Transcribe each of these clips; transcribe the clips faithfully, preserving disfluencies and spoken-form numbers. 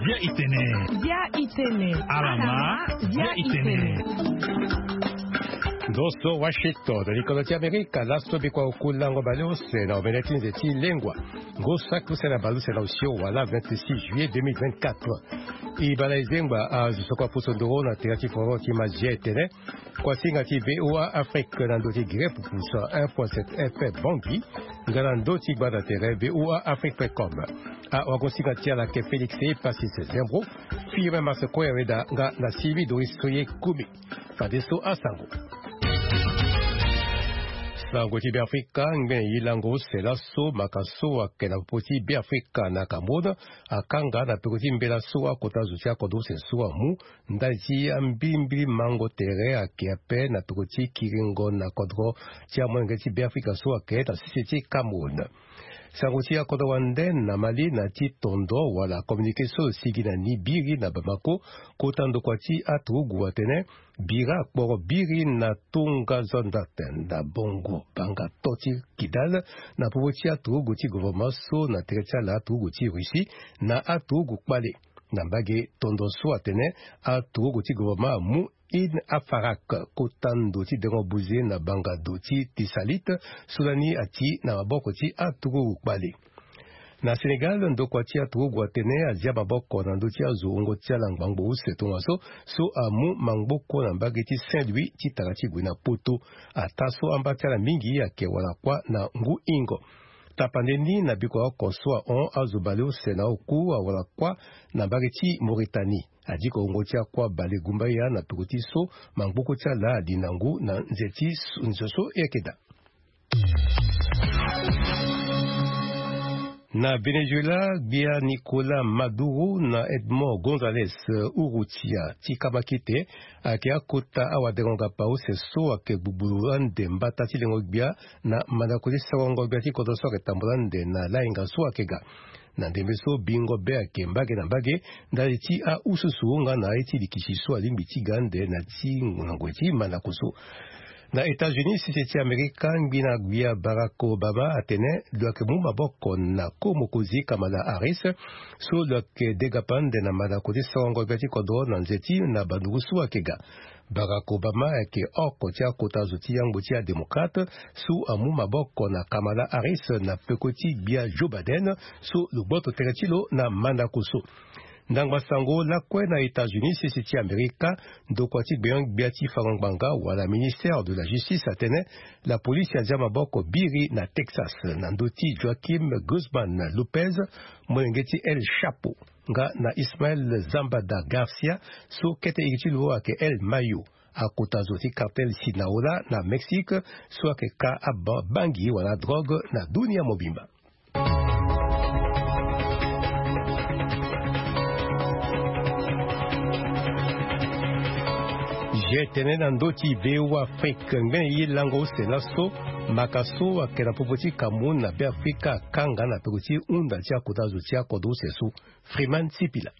Bia itene. Bia itene. Alama. Bia itene. Ndo so Washington, likolo ti Amerika. Laso bikua oku lango baleuse na omene ti nze ti lengua. Ngu saki use na baleuse na osio wala vingt-six juillet deux mille vingt-quatre. E bala e zengba azo so kua pusu nduru na tere ti foro ti Mazia e tene. Kuasinga ti VOA Afrique na ndö ti gere pupusa un point sept F M Bangui, nga na ndö ti gbanda tere VOA Afrique point com. Awagosinga ti ala ayeke Félix Epasis Zembro, Firmin Marseco Yaweda nga na Sylvie Doris Soye Kumi. Fadeso asango. Sango ti Beafrika, ngbene ye lango use laso, maka so ayeke na popo ti Beafrika na Cameroun akanga na peko ti mbela so akota zo ti akodro use so amu ndali ti ambilimbili mango tere ayeke ape na peko ti kiringo na kodro ti amolenge ti Beafrika so ayeke na sese ti Cameroun. Sango ti akodro wande na Mali na ti tondo wala communiqué so sigi na ni biri na Bamako, kota ndokua ti aturugu atene bira akporo biri na Tonga Zandate na Bongo Banga to ti Kidal na popo ti aturugu ti gouvernement so na tere ti ala aturugu ti Russie na aturugu kpale. Na mbage tondo so atene aturugu ti gouvernement amu Ain Afarak, kota ndo ti dengo buze na banga do ti Tisalit, so lani ati na maboko ti aturugu kpale. Na Sénégal, ndokua ti aturugu atene azia maboko na ndö ti azo wungo ti ala ngbangbo use tongaso, so amu mangboko na mbage ti Saint-Louis ti tara ti gue na Poto. Ataa so amba ti ala mingi ayeke wala kuâ na ngu hingo. Tapande ni na bikua oko so ahon azo baleuse na oku awala kuâ na mbage ti Mauritanie. Adiko wungo ti akuâ balegumbaya na peko ti so mangboko ti ala ali na ngu na nze ti s-, nzo so e yeke daa. Na Venezuela, gbia Nicolas Maduro na Edmond Gonzalez Urrutia ti kamakite ayeke akota awadengo-ngapa use so ayeke gbugbulu ande mbata ti lengo-gbia na mandako ti sarango-gbia ti kodro so ayeke tambula ande na layenga so ayeke ga. Na ndembe so bingo be ayeke mbage na mbage ndali ti aususu nga na aye ti likisi so alingbi ti ga ande na ti na ngoi ti mandako so. Na États-Unis, sese ti Amerika, ngbina gbia Barack Obama atene lo yeke mu maboko na ko mokonzi Kamala Harris, so lo yeke degapa ande na mandako ti sarango-gbia ti kodro na nze ti na banduru so ayeke ga. Barack Obama ayeke oko ti akota zo ti yangbo ti adémocrate so amu maboko na Kamala Harris na peko ti gbia Joe Biden, so lo gboto tere ti lo na mandako so. Ndangba sango lakue na États-Unis, sese ti Amerika, ndokua ti gbenyo-gbia ti fango ngbanga wala ministère de la justice atene lapolisi azia maboko biri na Texas na ndö ti Joaquim Guzman Lopez, molenge ti El Chapo, nga na Ismael Zambada Garcia, so kete iri ti lo ayeke El Mayo, akota zo ti cartel Sinaloa na Mexique, so ayeke ka aba-, bangi wala drogue na dunia mobimba. Je tene na ndö ti VOA Afrique, ngbene ye lango use laso, maka so ayeke na popo ti Cameroun na Beafrika akanga na peko ti hunda ti akota zo ti akodro use so. Freeman Sipila.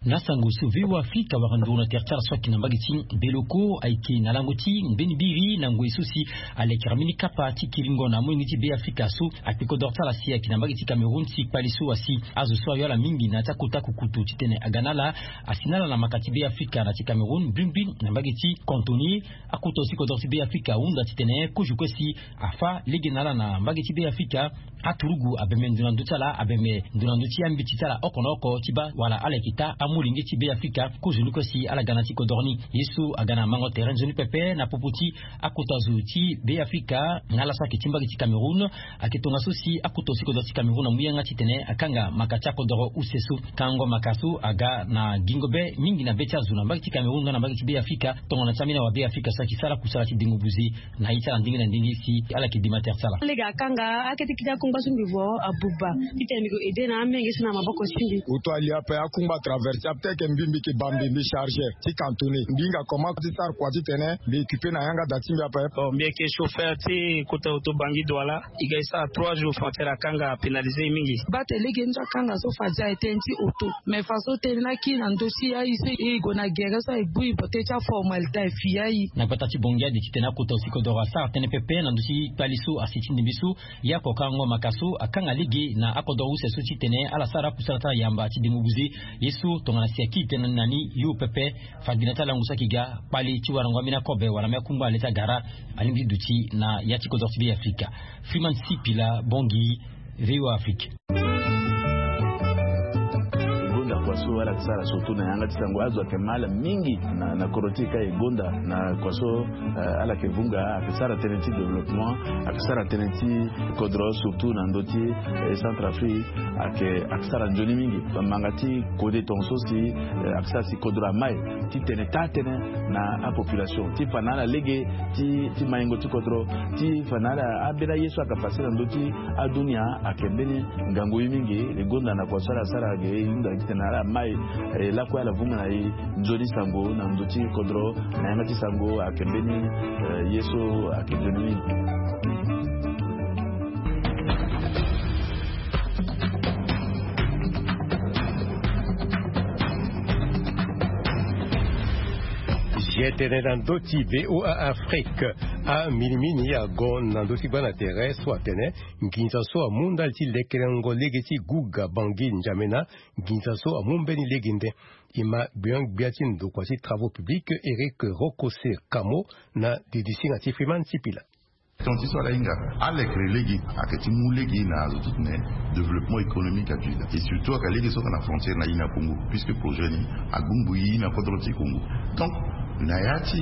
Na sango so VOA Afrika awara nduru na tere ti ala so ayeke na mbage ti Beloko ayeke na lango ti mbeni biri na ngoi so si alekera mbeni kapa ti kiringo na amolenge ti Beafrika so akpe kodoro ti ala si ayeke na mbage ti Cameroun ti kpale so asi azo so ayo ala mingi na ya ti akota kukutu titene aga na ala asi na ala na maka ti Beafrika na ti Cameroun mbimbing na mbage ti Cantoni. Akota zo ti kodoro ti Beafrika ahunda titene kozo kue si afâ lege na ala na mbage ti Beafrika. Aturugu abembe ndo na ndö ti ala, abembe ndo na ndö ti ambeti ti ala oko na oko ti baa wala ala yeke taa amolenge ti Beafrika. Kozo ni kue si ala ga na ti kodoro ni. Ye so aga na mango tere nzoni pepe na popo ti akota zo ti Beafrika na ala so ayeke ti mbage ti Cameroun. Ayeke tongaso si akota zo ti kodoro ti Cameroun amu yanga titene akanga maka ti akodoro use so. Kangango maka so aga na gingo be mingi na be ti azo na mbage ti Cameroun nga na mbage ti Beafrika. Tongana ti ambeni awa Beafrika so ayeke sara kusala ti dengo buze na ye ti ala ndenge na ndenge si ala yeke dima tere ti ala. Lege akanga akete kiti ako Ngba so mbi vo abuba titene mbi ko aide na amenge so na maboko ti mbi. Oto ali ape akungba traverse ape teke mbi mbi ke ba mbi mbi chargeur ti cantonné mbi hinga comment ti sara kua titene mbi occupe na yanga da ti mbi ape. Bon, mbi yeke chauffeur ti kota oto bangi douala. E ga e sara trois jours frontière akanga, apénalisé e mingi. Bate lege ni so akanga so fade aye tënë ti oto. Mais façon tënë ni aki na ndö ti aye so e gue na gere so aye bui bote ti aformalité aye fi aye. Na gbata ti bongi ade titene akota osi kodoro asara tënë pepe na ndö ti kpali so asi ti ndimbi so. Ya kokango maka so akanga lege na akodoro use so titene ala sara akusala ti ala yamba ti dengo buze. Ye so tongana si aki tënë na ni yo pepe. Fade na ti alango so aki ga kpali ti warango ambeni akobe wala ambeni akungba le ti agara. Alingbi ti duti na ya ti kodoro ti Be Afrika. Freeman Sipila, Bongi, VOA Afrique. Gonda kua so ala yeke sara surtout na yanga ti sango azo ayeke ma ala mingi na, na kodro ti e ka e gonda na kua so, eh, ala yeke vunga ayeke sara tënë ti développement, ayeke sara tënë ti kodro surtout na ndö ti, eh, Centrafrique ayeke, ayeke sara nzoni mingi. Bamanga ti kode tongaso si, eh, ayeke sara si kodro amai titene taa tënë na apopulation ti fa na ala lege ti, ti maingo ti kodro ti fa na ala ambeni aye so ayeke pase na ndö ti adunia ayeke mbeni ngangu ye mingi. E gonda na kua so ala sara ayeke e hunda titene ala mai, eh, lakue ala vunga na e nzoni sango na ndö ti kodro na yanga ti sango ayeke mbeni, eh, ye so ayeke nzoni mingi. Ye tene na ndö ti VOA Afrique. Aminimini ago na ndö ti gbana tere so atene nginza so amu ndali ti lekerengo lege ti Guga Bangi N'Djamena. Nginza so amu mbeni lege nde. E ma gbion-gbia ti ndokua ti travaux publics Eric Rokose Kamo na didisinga ti Freeman Sipila. Tonga ti so ala hinga alekere lege ayeke ti mu lege na azo titene développement économique adu daa. Et surtout ayeke lege so ayeke na frontière na ina Congo, puisque projet ni agbu ngbu ye na kodro ti Congo. Donc na ya ti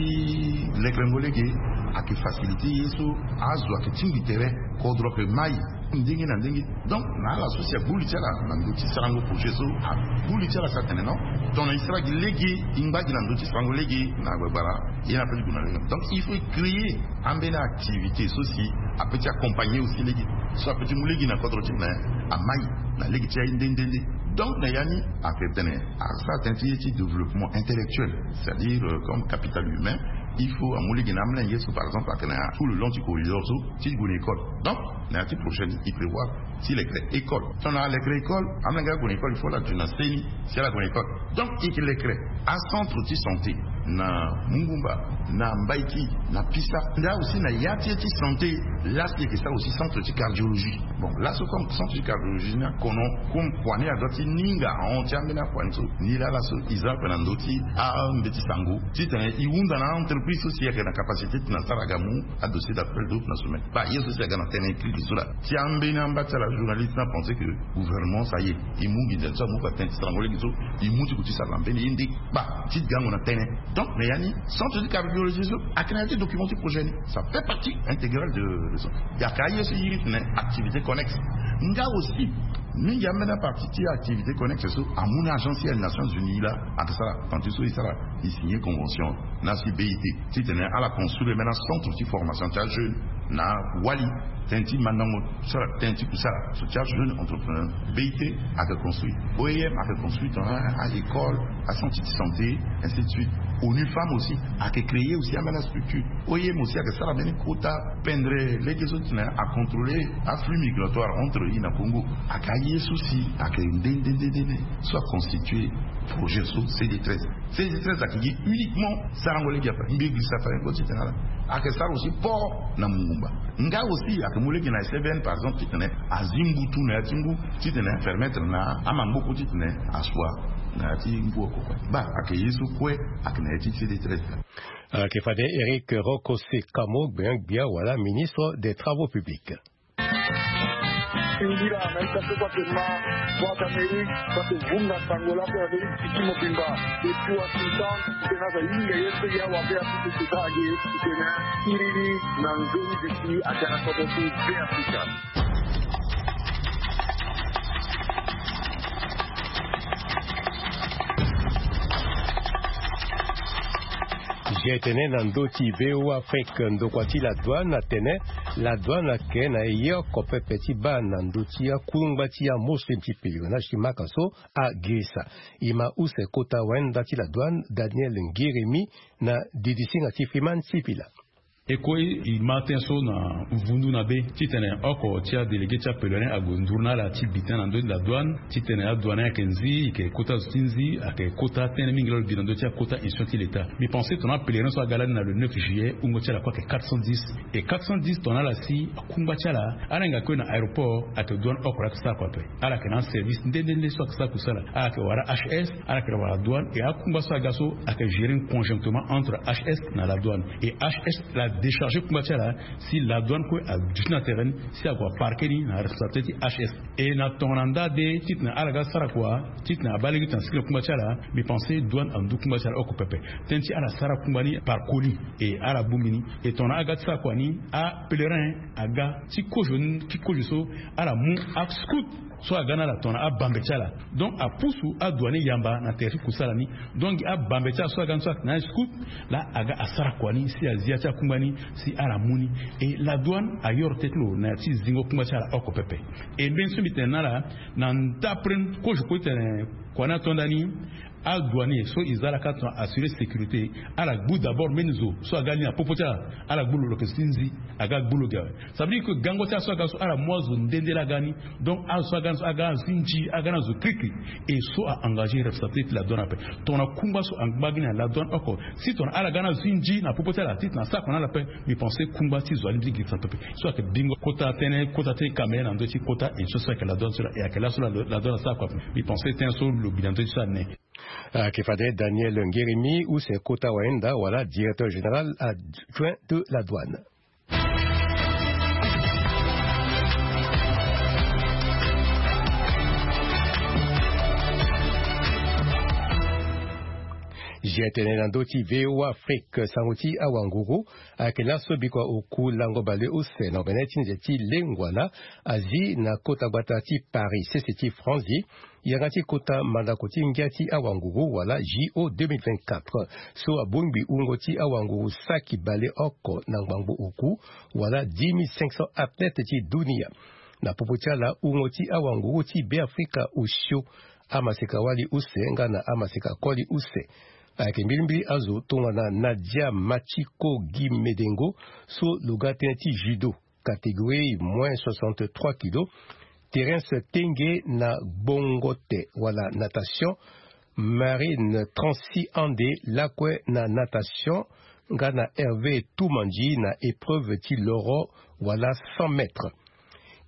lekerengo lege ayeke facilité ye so azo ayeke tingbi tere, kodro ayeke mai ndenge na ndenge. Donc na ala so si agbu li ti ala na ndö ti sarango projet so, agbu li ti ala si atene non, tongana e sara gi lege, e ngba gi na ndö ti sarango lege na gbagbara, ye na ape ti gue na lege. Donc il faut e créer ambeni activité so si ape ti accompagner aussi lege, so ape ti mu lege na kodro ti e na amai na lege ti aye nde nde nde. Donc na ya ni ayeke tene asara tënë ti ye ti développement intellectuel, c'est-à-dire, euh, comme capital humain. Il faut amu lege na amolenge so par exemple ayeke na tout le long ti corridor so ti gue na école. Donc na ya ti prochaine e prévoir ti lekere école. Tongana alekere école, amolenge ague na école, il faut ala duti na seni si ala gue na école. Donc e yeke lekere acentre ti santé na Mungumba, na Mbaiki, na Pisa. Nda aussi na ya ti ye ti santé, laa si e yeke sara aussi centre ti cardiologie. Bon laso comme centre ti cardiologie ni akono, comme kua ni adoit ti ninga ahon ti ambeni akua ni so, ni laa laso e za ape na ndö ti ambeti sango titene e hunda na a-entreprise so si e yeke na capacité titene asara aga mu adossier d'appel d'offre na sommet. Baa ye so si aga na tënë écrit so laa. Ti ambeni amba ti ala journaliste ni apensé que gouvernement ça y est, e mu nginza ni so amu fa tënë ti sarango lege so, e mu ti gue ti sara na mbeni ye nde. Baa ti gango na tënë. Donc na ya ni centre ti cardiologie so ayeke na ya ti document ti projet ni, ça fait partie intégrale de, de ça. Ayeke aye so e iri titene activité connexe. Nga aussi mingi ambeni apartie ti activité connexe so amu na agence ya Nations Unies laa ayeke sara. Tongana ti so e sara, e signer convention na si B I T titene ala construire mbeni acentre ti formation ti ajeune na Wali. Tënë ti mandango sara, tënë ti kusara so ti ajeune entrepreneur. B I T ayeke construire, O I M ayeke construire tongana a-école, acentre ti santé, ainsi de suite. ONU Femmes aussi ayeke créer aussi ambeni astructure. O I M aussi ayeke sara mbeni kota pendre lege so titene acontrôler aflux migratoire entre e na Congo. Ayeke aye so si ayeke nde nde nde nde so aconstituer projet so C D treize. C D treize ayeke gi uniquement sarango lege ape, mbi gi safari ngo titene ala. Ayeke sara aussi port na Mungumba. Nga aussi ayeke mu lege na S F N par exemple titene azi mbutu na ya ti ngu titene permettre na amangoko titene asua na ya ti ngu oko kue. Baa ayeke ye so kue ayeke na ya ti C D treize. Ayeke fade Eric Rokose Kamo, gbia gbia wala ministre des travaux publics. Singila na ita so kua ke ma Voix d'Amérique, kua ke vunga sango lako na ndö ti ti mobimba. Depuis Washington, tena za yinga ye so ya wa pe ya kutu kuta age, tena iriri na nzoni bisi agana kodo ti Be Afrika. Ge tene na ndö ti V O A Afrique, ndokua ti la douane atene la douane ayeke na ye oko pepe ti baa na ndö ti akungba ti amuslim ti pèlerinage ti Maka so agirisa. E ma use kota wayenda ti la douane Daniel Ngiremi na didisinga ti Freeman Sipila. E kue e ma tënë so na vundu na be titene oko ti adélégué ti apèlerin ague nduru na ala ti bi tënë na ndö ti la douane titene adouane ayeke nzi, e yeke kota zo ti nzi, ayeke kota tënë mingi laa lo bi na ndö ti akota institution ti leta. Mbi pense tongana apèlerin so aga lani na le neuf juillet, wungo ti ala kue ayeke quatre cent dix. E quatre cent dix tongana ala si akungba ti ala, ala hinga kue na aéroport, ayeke douane oko laa ayeke sara kua ape. Ala yeke na aservice nde nde nde so ayeke sara kusala. Ala yeke wara H S, ala yeke wara douane, e akungba so aga so ayeke gérer conjointement entre H S na la douane. E H S la décharger kungba ti ala, si la douane kue aduti na terrain ni, si ague aparquer ni na responsabilité ti H S. E na tongana nda de titene ala ga sara kua, titene abaa lege titene asigi na kungba ti ala, mbi pense douane andu kungba ti ala oko pepe. Tënë ti ala sara kungba ni par colis, e ala bongbi ni. E tongana aga ti sara kua ni, apèlerin aga ti kozo ni, ti kozo so, ala mu ascout so aga na ala tongana abambe ti ala. Donc apusu adouane yamba na tere ti kusala ni. Donc abambe ti ala so aga ni so ayeke na ascout, laa aga asara kua ni si azi ya ti akungba ni, si ala mu ni. E la douane ayoro teti lo na ya ti zingo kungba ti ala oko pepe. E mbeni so mbi tene na ala, na ndapre kozo kue titene kua ni ato ndani, adouanier so e za ala kâ tongana assurer sécurité, ala gbu d'abord mbeni zo so aga ni na popo ti ala, ala gbu lo, lo yeke zi ti nzi, aga gbu lo ge awe. Ça veut dire que gango ti ala so aga so ala mu azo nde nde laa aga ni. Donc azo so aga ni so aga na zi nzi, aga na zo kirikiri. E so a engagé responsabilité ti la douane ape. Tongana kungba so angba gi na la douane oko, si tongana ala ga na zi nzi na popo ti ala titene asara kua na ala ape, mbi pense kungba ti zo alingbi ti girisa pepe. So ayeke bingo kota tënë, kota ti kame na ndö ti kota institution so ayeke la douane so laa, e ayeke laso la, la douane asara kua ape. Mbi pense tënë so lo bi na ndö ti so ane. Ayeke fade Daniel Ngiremi, use kota wayenda wala directeur général adjoint de la douane. Ge tene na ndö ti V O A Afrique, sango ti awanguru ayeke laso bikua oku lango baleuse na omene ti nze ti lengua laa azi na kota gbata ti Paris, sese ti Franzi, yanga ti kota mandako ti ngia ti awanguru wala J O deux mille vingt-quatre so abongbi wungo ti awanguru saki baleoko na ngbangbo oku wala dix mille cinq cents athlètes ti dunia. Na popo ti ala, wungo ti awanguru ti Beafrika osio amaseka-wali use nga na amaseka-koli use. Ayeke mbilimbili azo tongana Nadia Machiko Guy Medengo so lo ga tënë ti judo, catégorie moins soixante-trois kilos, Terence Tenge na gbongote wala natation, Marine Transi Ande lakue na natation, nga na Hervé Toumandji na épreuve ti loro wala cent mètres.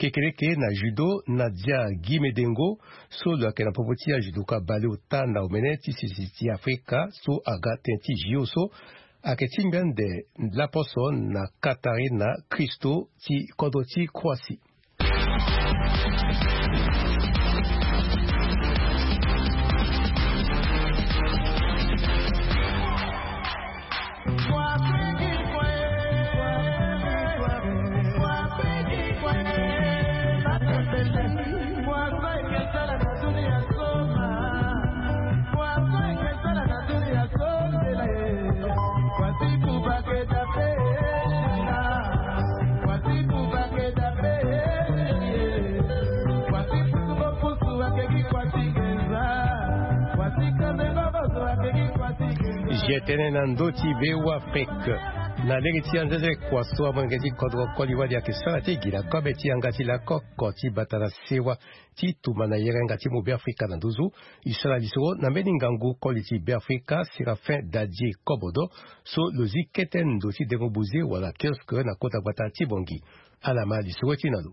Kekereke na judo, Nadia Guy Medengo so lo yeke na popo ti ajudoka baleota na omene ti sese ti Afrika so aga tënë ti J O so, ayeke ti ngbende laposo na Katarina Christo ti kodro ti Croatie. Ge tene na ndö ti V O A Afrique. Na lege ti anzenze kua so amolenge ti kodro koli wali ayeke sara ti gi na kobe ti yanga ti lakoko ti bata na sewa ti tumba na yerenga ti mu Beafrika na nduzu. E sara lisoro na mbeni ngangu koli ti Beafrika Séraphin Dadie Kobodo so lo zi kete ndo ti dengo buze wala kiosque na kota gbata ti Bangui. Ala ma lisoro ti na lo.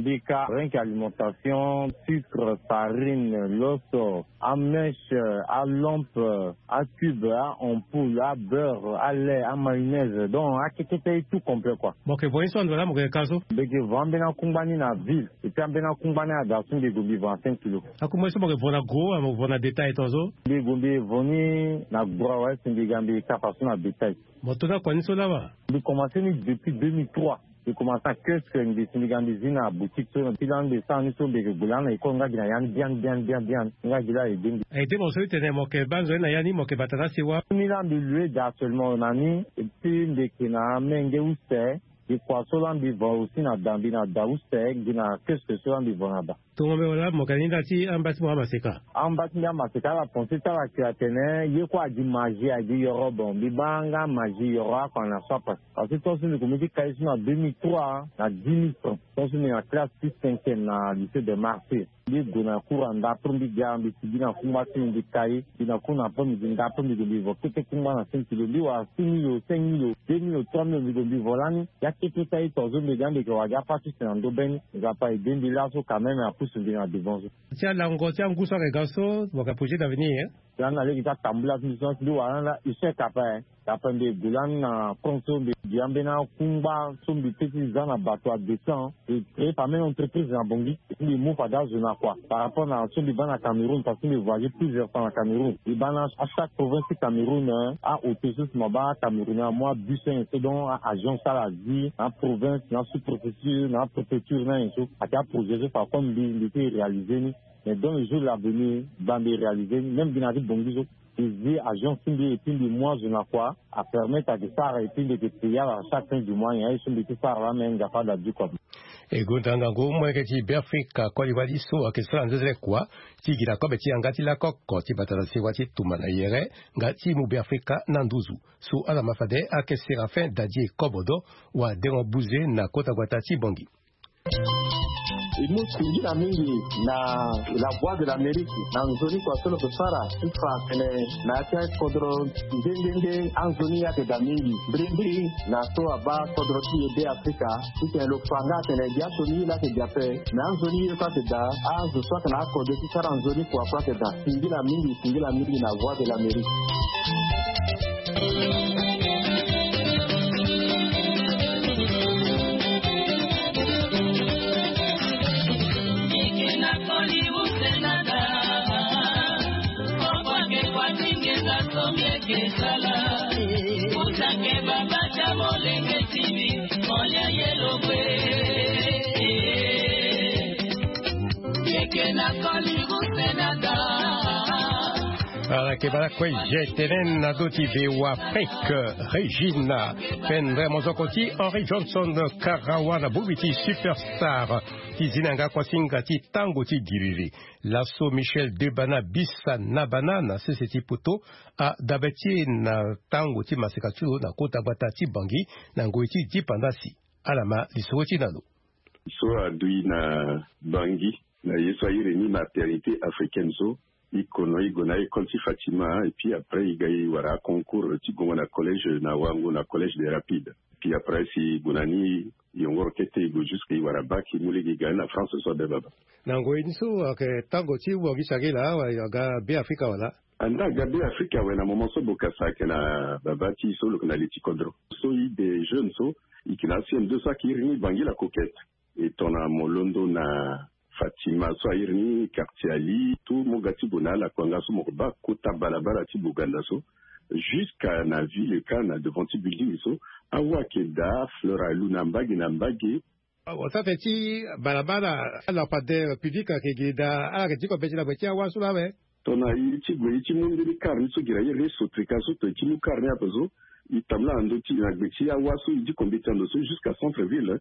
Mbika, rien que alimentation, sucre, farine, loso, amèche, alampe, acube, aampoule, abeurre, alait, amayonnaise. Donc akekete, tout complet quoi. Mo yeke vo ye so ando laa mo yeke ka so? Mbi yeke vo ambeni akungba ni na ville. Et puis ambeni akungba ni aga so mbi gue mbi vo na cinq kilos. Akungba ye so mo yeke vo na gros, mo yeke vo na détail tongaso? Mbi gue mbi vo ni na gros awe, si mbi ga mbi ka faso na détail. Mo to ni akua ni so laa wa? Mbi commencé ni depuis deux mille trois. Mbi komanse na kiosque, mbi si mbi ga mbi zi na boutique so ti lani mbi sara ni so mbi yeke gue lani na école nga gi na ya ni biani biani biani biani nga gi la aide mbi. Aide mo so ti tene mo yeke baa nzoni na ya ni mo yeke bata na sewa. Ni laa mbi lue daa seulement na ni. Epui mbi yeke na amenge use. Mbi kua so laa mbi va aussi na da mbi na da use gi na kiosque so laa mbi va na da. Tongo mbi wala mo yeke na ni nda ti amba ti mo amaseka. Amba ti mbi amaseka ala pense ti ala yeke atene ye kue agi magie agi yoro. Bon mbi baa nga magie yoro oko na so ape. Parce que tant so mbi komi ti kai so na deux mille trois na dix mille francs tant so mbi na classe ti cinquième na lycée de Marseille. Mbi gue na cours anda après mbi ga mbi sigi na kungba ti mbi mbi kai mbi na cours na après midi nda après mbi gue mbi vo kete kungba na cinq kilo mbi wara six mille o cinq mille o deux mille o trois mille o mbi gue mbi vo lani. Ya kete ti aye tongaso mbi ga mbi yeke wara gi afa ti use na ndö be ni. Nzapa aide mbi laso quand même apusu mbi na devant so. Ti alango ti angu so ayeke ga so mo yeke projet d'avenir. Lani na lege ti atambula ti mbi so si mbi wara lani laa échec ape. Ape mbi gue lani na France so mbi gi ambeni akungba so mbi pe ti za na bato adescend. Mbi créer pa même entreprise na Bangui. Mbi mu fade azo na kua par rapport na so mbi baa na Cameroun parce que mbi voyager plusieurs fois na Cameroun. Mbi baa na achaque province ti Cameroun. Aauto so si mo baa Cameroun amu abus so nyen so donc aagence ala zi na aprovince na asous-préfecture na apréfecture na nyen so. Ayeke aprojet so fa comme mbi mbi ti réaliser ni. Mais dans le jour l'avenir baa mbi réaliser ni même gi na ya ti Bangui so. Mbi zi agence ti mbi epui mbi mu azo na kua apermettre ayeke sara epui mbi yeke payer ala chaque fin du mois nyen aye so mbi ti sara laa me nzapa ala du kua. E gonda ngangu molenge ti Beafrika koli wali so ayeke sara nzenzele kua ti gi na kobe ti yanga ti lakoko ti bata na sewa ti tumba na yere nga ti mu Beafrika na nduzu. So ala ma fade ayeke Séraphin Dadie Kobodo wadengo buze na kota gbata ti Bangui. E mu singila mingi na La Voix de l'Amérique na nzoni kua so lo yeke sara ti fa atene na ya ti akodro nde nde nde anzoni ayeke daa mingi mbirimbiri na so abaa kodro ti e Beafrika. Titene lo fa nga atene gi aso ni ye laa ayeke daa ape. Me anzoni ye so ayeke daa azo so ayeke na akode ti sara nzoni kua so ayeke daa. Singila mingi singila mingi na Voix de l'Amérique. Ala yeke baa lakue je tene na do ti Beafrika Régine Pendre mozoko ti Henri Johnson Karawa na bongbi ti Superstar ti zi na yanga kuasinga ti tango ti giriri. Laso Michel Debana Bisa na Bana na sese ti poto adabe ti e na tango ti maseka ti lo na kota gbata ti Bangui na ngoi ti dipandasi. Ala ma lisoro ti e na lo. So adui na Bangui na ye so a iri ni maternité africaine so. I kono i gue na école ti Fatima et puis après i ga i wara concours ti gongo na collège na Wango na collège des Rapides. Puis après si i gue na ni i yongoro kete i gue jusque i wara bac i mu lege i ga ni na France so abe baba. Na ngoi ni so ayeke tango ti wangisa ge laa wala i ga Beafrika wala? Anda ga Beafrika awe na moment so bokasa ayeke na baba ti i so lo yeke na li ti kodro so i de jeune so i yeke na aCM deux so ayeke iri ni Bangui la Coquette. E tongana mo londo na Fatima so a iri ni quartier Ali tout mo ga ti gue na ala kua nga so mo yeke baa kota balabala ti Boganda so. Jusqu'à na ville ka na devant ti building so awa ayeke daa fleur alu na mbage na mbage. Awa sara tene ti balabala lampadaire public ayeke gi daa ala yeke diko mbeti na gbe ti awa so laa awe. Tongana i ti gue i ti mu mbeni car ni so gi na iri ni sotrika so tongana i ti mu car ni ape so i tambula na ndö ti na gbe ti awa so i diko mbeti na ndo so jusqu'à centre ville.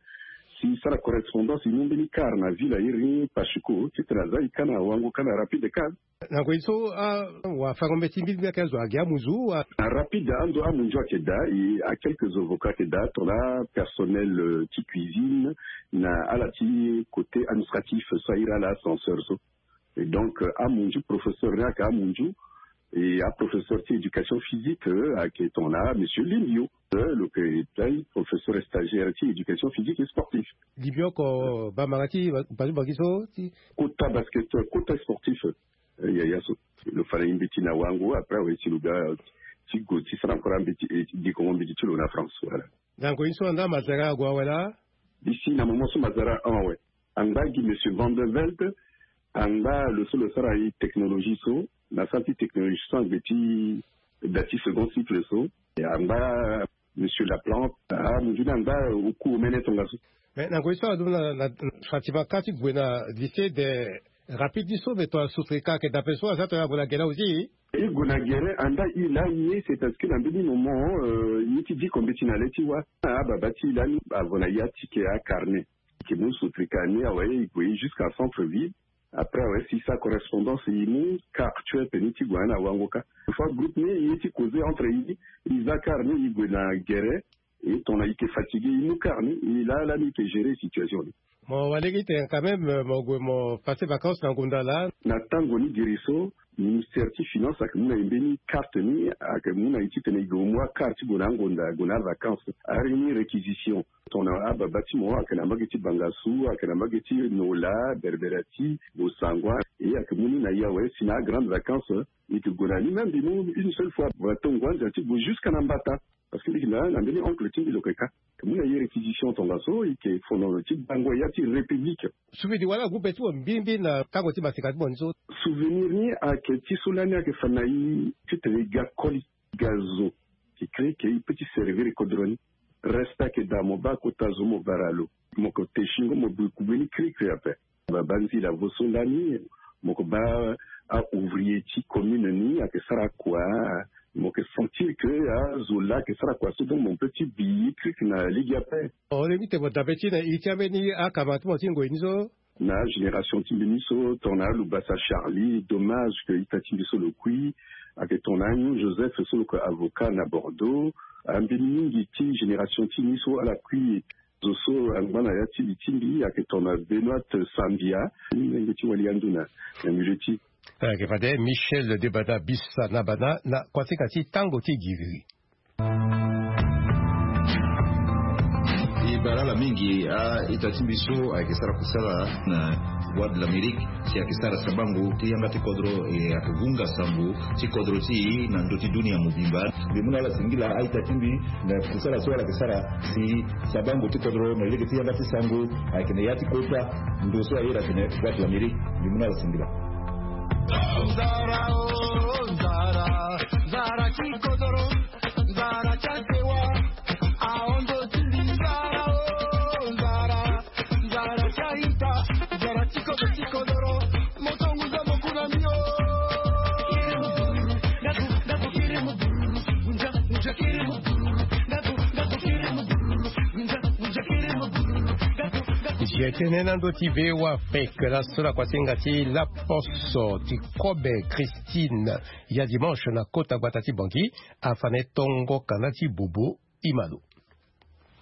Si i sara correspondance i mu mbeni car na ville a iri ni Pachuco titene aza i ka na Wango ka na Rapide ka. Na ngoi so awafango mbeti mbirimbiri ayeke azo agi amunzu wa. Na Rapide ando amunzu ayeke daa e a quelques avocats ayeke daa tongana personnel ti cuisine na ala ti côté administratif so a iri ala ascenseur so. Et donc amunzu professeur ni ayeke amunzu e aprofesseur ti éducation physique ayeke tongana monsieur Limbio. Lo yeke daa professeur stagiaire ti éducation physique et sportif. Limbio oko bambanga ti basu bangi so ti kota basket kota sportif. Yaya so lo fa na ye mbeti na Wango après awe si lo ga ti gue ti sara encore ambeti e ti dikongo mbeti ti lo na France wala. Ndango ye so anda mazara ague awe laa. Isi na moment so mazara en awe. Angba gi monsieur Van de Velde. Angba lo so lo sara ye technologie so na sara ti technologie so angbe ti da ti second cycle so. Angba Monsieur Laplante, ah, mundu na nga, oku omene tongaso. Mais na ngoi so adumu na, na, na Fatima ka ti gue na lycée de rapide ni so, mais to asutrika ke d'après so aza to ya gue na gere aussi. I gue na gere anda i lani ye, c'est parce que na mbeni moment, euh, ye ti diko mbeti na le ti wa. Ah, baba ti lani avo na ya ti ke a carnet. Ke mu sutrika ni awe, i gue jusqu'à centre ville. Après awe si sa correspondance i mu car tu es peni ti gue na wango ka. Fois groupe ni ye ti causer entre i, i za car ni i gue na gere. Et ton i ke fatigué, i mu car ni, i la la ni ke gérer situation ni. Mo wale ki te quand même, mo gue mo passer vacances na ngunda la. Na tango ni giri so, ministère ti finance ake mu na i mbeni carte ni, ake mu na i ti tene i gue mu a car ti gue na ngunda, gue na vacances. Ari ni réquisition. Ton a baba ti mo ake na mbage ti Bangassou, ake na mbage ti Nola, Berberati, Bossangoa, et ake mu ni na i awe si na grande vacances, i ke gue na ni même i mu une seule fois. Voilà, tongo anza ti gue jusqu'à na mbata. Parce que mbi yeke na, na mbeni oncle ti mbi lo yeke ka. Mbi na ye réquisition tongaso, i yeke fono ti bango ya ti République. Souvenir wala groupe ti mo mbirimbiri na tango ti masika ti mo ni so? Souvenir ni ayeke ti so lani ayeke fa na i titene i ga koli, i ga zo. Ti kiri ke i peut ti servir kodro ni. Reste ayeke daa mo baa kota zo mo bara lo. Mo yeke te singo mo bi kugbe ni kirikiri ape. Ba, banzila vo so lani, mo yeke baa a-ouvrier ti commune ni ayeke sara kua, mo yeke sentir que azo laa ayeke sara kua so, donc mo peut ti bi ye kirikiri na lege ape. O lingbi te mo dabe ti na iri ti ambeni akama ti mo ti ngoi ni so? Na génération ti mbi ni so, tongana alubasa Charlie, dommage que ita ti mbi so lo kui, ayeke tongana Agnon Joseph so lo yeke avocat na Bordeaux, ambeni mingi ti génération ti mbi so ala kui. Zo so angba na ya ti li ti mbi ayeke tongana Benoîte Sambia, ni lenge ti wali ando na, na milieu ti. Ayeke fade Michel Debada Bisa na bana na kuasinga ti tango ti giriri. E bara ala mingi a-ita ti mbi so ayeke sara kusala na Voix de l'Amérique. Si ayeke sara sabango ti yanga ti kodro, e ayeke vunga sango ti kodro ti e na ndö ti dunia mobimba. Mbi mu na ala singila a-ita ti mbi na kusala so ala yeke sara si sabango ti kodro na lege ti yanga ti sango ayeke na ya ti kota ndo so ayeke na Voix de l'Amérique. Mbi mu na ala singila. Nzara, oh, nzara, nzara ti kodro, nzara ti asewa, ahon ndo ti mbi nzara, oh, nzara. Nzara ti a-ita, nzara ti kodro ti kodoro, moto ngu za mo ku na mbi o. Kiri mo bururu, ndaku, ndaku, kiri mo bururu, ngunza, ngunza, kiri mo bururu, ndaku, ndaku, kiri mo bururu, ngunza, ngunza, kiri mo bururu, ndaku, ndaku. Zi etene na ndö ti V O A Afrique, laso na kuasinga ti laposo ti kobe Christine ya dimanche na kota gbata ti Bangui, afa na e tongo kanda ti bobo. Imalo.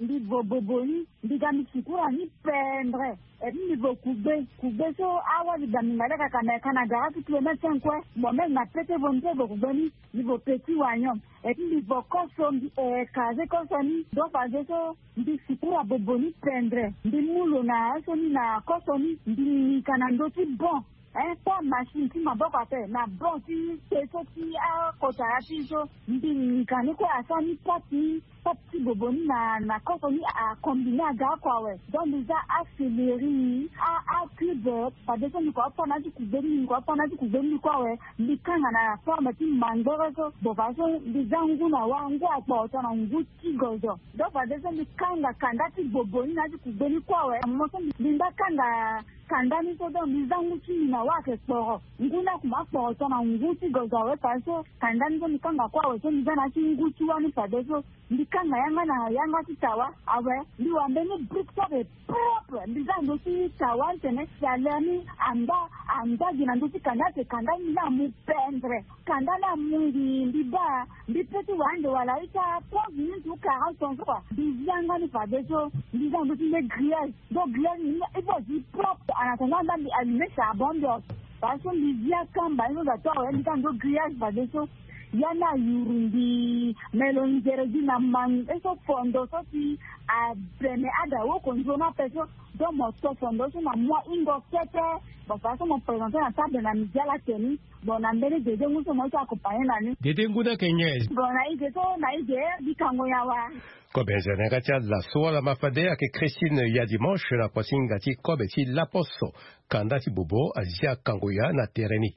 Mbi vo bobo ni, mbi ga mbi sukura ni pendre. Et puis mbi vo kugbe, kugbe so awali da mbi nga leka ka na ka na gara ti kilomètre cinq kue. Bon, même na pete vo mbi so vo kugbe ni, mbi vo petit wagnon. Et puis mbi vo koso, mbi écraser koso ni. Donc fadeso mbi sukura bobo ni pendre. Mbi mu lo na aso ni na koso ni, mbi nika na ndö ti bon. Hein, pas machine ti maboko ape, na bon ti pe so ti akota ya ti so. Mbi nika ni kue asara ni pâte ni, pâte ti bobo ni na, na koso ni a combiner aga oko awe. Donc mbi za acéléri, a, a cube, fadeso mbi ko apana ti kugbe ni, mbi ko apana ti kugbe ni kue awe. Mbi kanga na forme ti mangbere so. Bon, fadeso mbi za ngu na wa, ngu akporo tongana ngu ti gozo. Donc fadeso mbi kanga kanda ti bobo ni na ti kugbe ni kue awe. Mo so mbi, mbi mba kanga kanda ni so, donc mbi za ngu ti mbi na wa ayeke kporo. Ngu ni akuma akporo tongana ngu ti gozo awe, fadeso kanda ni so mbi kanga kue awe, so mbi za na ya ti ngu ti wa ni fadeso. Mbi kanga yanga na yanga ti tawa awe. Mbi wara mbeni brique so ayeke propre. Mbi za ndö ti tawa ni tene si ale ni amba, amba gi na ndö ti kanda, ayeke kanda ni, mbi na mu pendre. Kanda ni amu mbi, mbi baa, mbi peut ti wara ande wala ita trente minutes ou quarante ans so kua. Mbi zi yanga ni fadeso, mbi za ndö ti nde grillage. Donc grillage ni, il faut zi propre. En attendant, mbi allumer charbon, mbi o. Fadeso mbi zi akamba ni so za to awe, mbi za ndö grillage fadeso. Ya ni ayuru mbi, me lo nzere gi na mangbere so, fondo so si abene ada woko nzoni ape so. Donc mo to fondo so na mua hingo kete. Bon, fadeso mo présenter na table na midi ala teni. Bon, na mbeni dede ngu so mo ye ti accompagner na ni. Dede ngu ni ayeke nyen? Bon, na ige so, na ige, mbi kango nyen awa? Kobe nze na yanga ti ala so wala ma fade ayeke Christine ya dimanche na kuasinga ti kobe ti laposo. Kanda ti bobo azia kango ya na tere ni.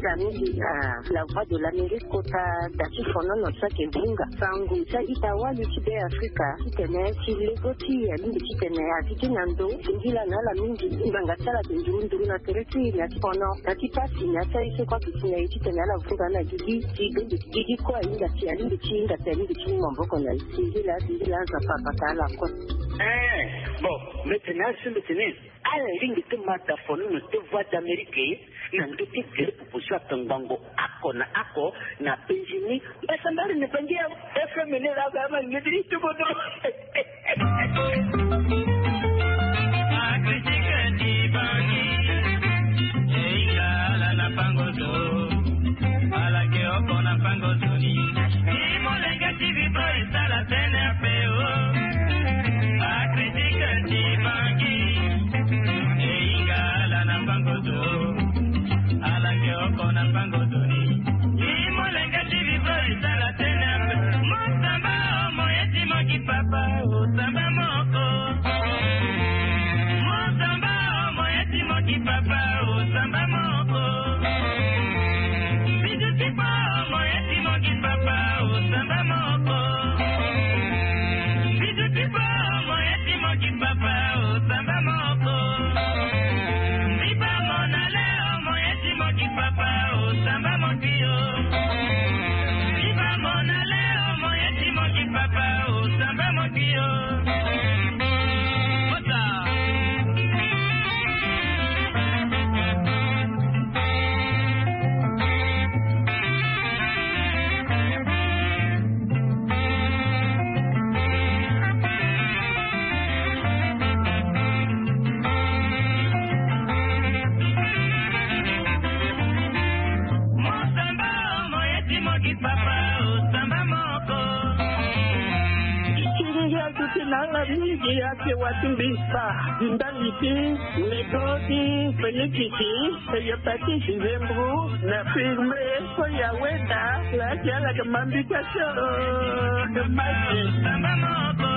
Lamidi, ah, la voix de l'Amérique kota da ti fonono so ayeke bunga sango ti a-ita wali ti Be Afrika titene ti lego ti alingbi titene a ti ti na ndo. Singila na ala mingi ngbanga ti ala ayeke nduru nduru na tere ti e na ti fono na ti pasi na ya ti aye so kue ayeke si na e titene ala vunga na gigi ti bende ti gigi kue ahinga si alingbi ti hinga si alingbi ti mu maboko na e. Singila singila anza papa ka ala kue. Eh, bon, mbi tene asi mbi tene ala lingbi ti ma da fonono ti Voix d'Amérique na ndö ti gere pupu so atongbango oko na oko na Benjini. Mbasambari ni bangi ya F M ni la ba ma ngediri ti bodo. Akritika ti bangi. Eila ala na pango zo. Ala ke oko na pango zo ni. Ni molenge ti bibo esala tene ape o. Akritika ti bangi. Eila ala na pango zo. Ala ke oko na pango zo ni. Ni molenge ti bibo esala tene ape. Mosamba o moye ti mo ki papa o samba moko. Mosamba o moye ti mo ki papa o samba moko. Bizu ti bo o moye ti mo ki papa o samba moko. Bizu ti bo o moye ti mo ki papa o samba moko. Biba mona le o moye ti mo ki papa o samba moko. Biba mona le o moye ti mo ki papa o samba moko. Mosamba o moye ti mo ki papa o samba moko. Ti ti ngia ti ti na ala mingi ake wa ti mbi sa di ndali ti nego ti Félix ti. Eye pati ti zembu na firme so ya weda la ti ala ke mambi ka so. Masi. Samba moko.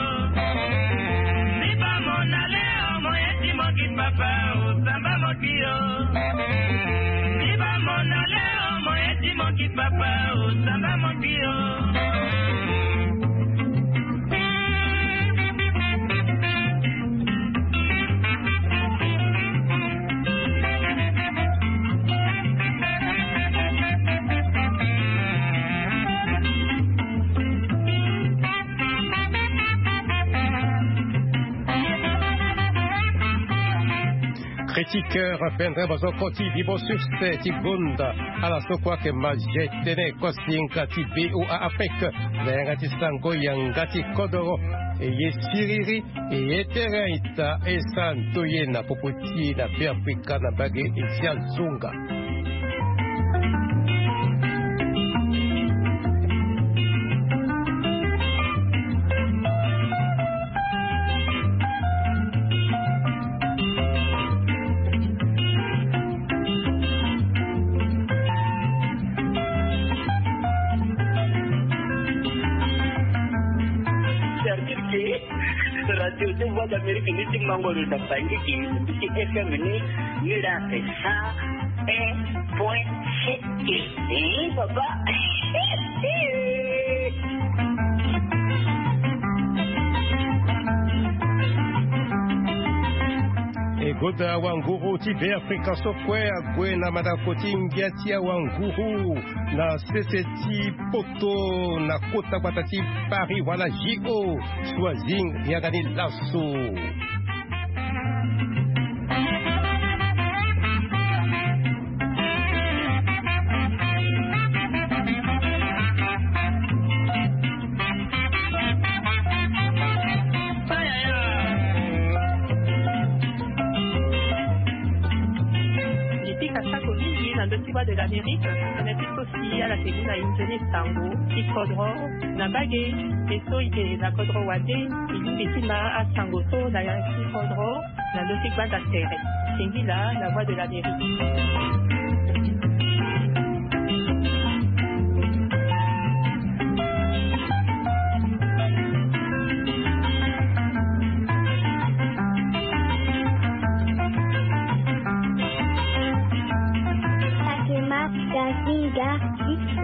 Biba mona le o moye ti mo ki papa o samba moko. Biba mona le o moye ti mo ki papa o samba moko. Critiqueur pendere bozoko ti bibo succès ti gonda ala so kue ayeke ma je tene kosinga ti B O A Afrique na yanga ti sango yanga ti kodoro. Eye siriri eye tere ita esa ndoye na popo ti e na Be Afrika na mbage esi azonga. Service ke Radio ti Voix d'Amérique ni ti mango lo na bangi ki ti F M ni, ni la ake cent un point sept. Eh, papa. E goda wanguru ti Be Afrika so kue ague na mandako ti ngia ti awanguru na sese ti Poto na kota gbata ti Paris wala J O. Choising yanga ni laso. Nipika sako mingi na ndö ti Voix de l'Amérique, na ndö ti so si ala ke gi na inzoni sango ti kodro na mbage. E so e ke na kodro wande, e lingbi ti ma asango so na ya ti kodro na ndö ti gbanda tere. Singila na Voix de l'Amérique.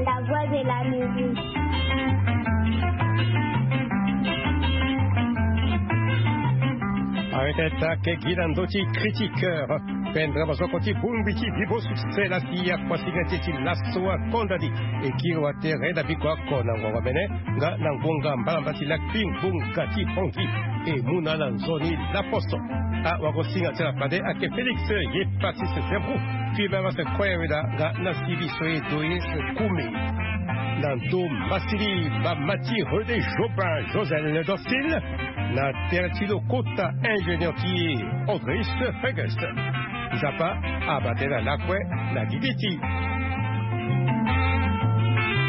La voix de la musique. Arrêtez ta ke gi na ndö ti critiqueur. Pendra mazoko ti bongbi ti bibo succès la si akuasinga ti ti laso akonda ni. E kiri wa tere na biko ako na ngonga mene nga na ngonga mbalamba ti lakpi ngonga ti hongi. E mu na ala nzoni laposo. Awagosinga ti ala fade ake félix ye patrice zebro. Fimba ma se koya weda nga na sibi so ye doye se kume. Na ndo masili bamati rede jobin josel docile. Na tere ti lo kota ingénieur ti ye audrice fegus. Nzapa abate na lakue na gigi ti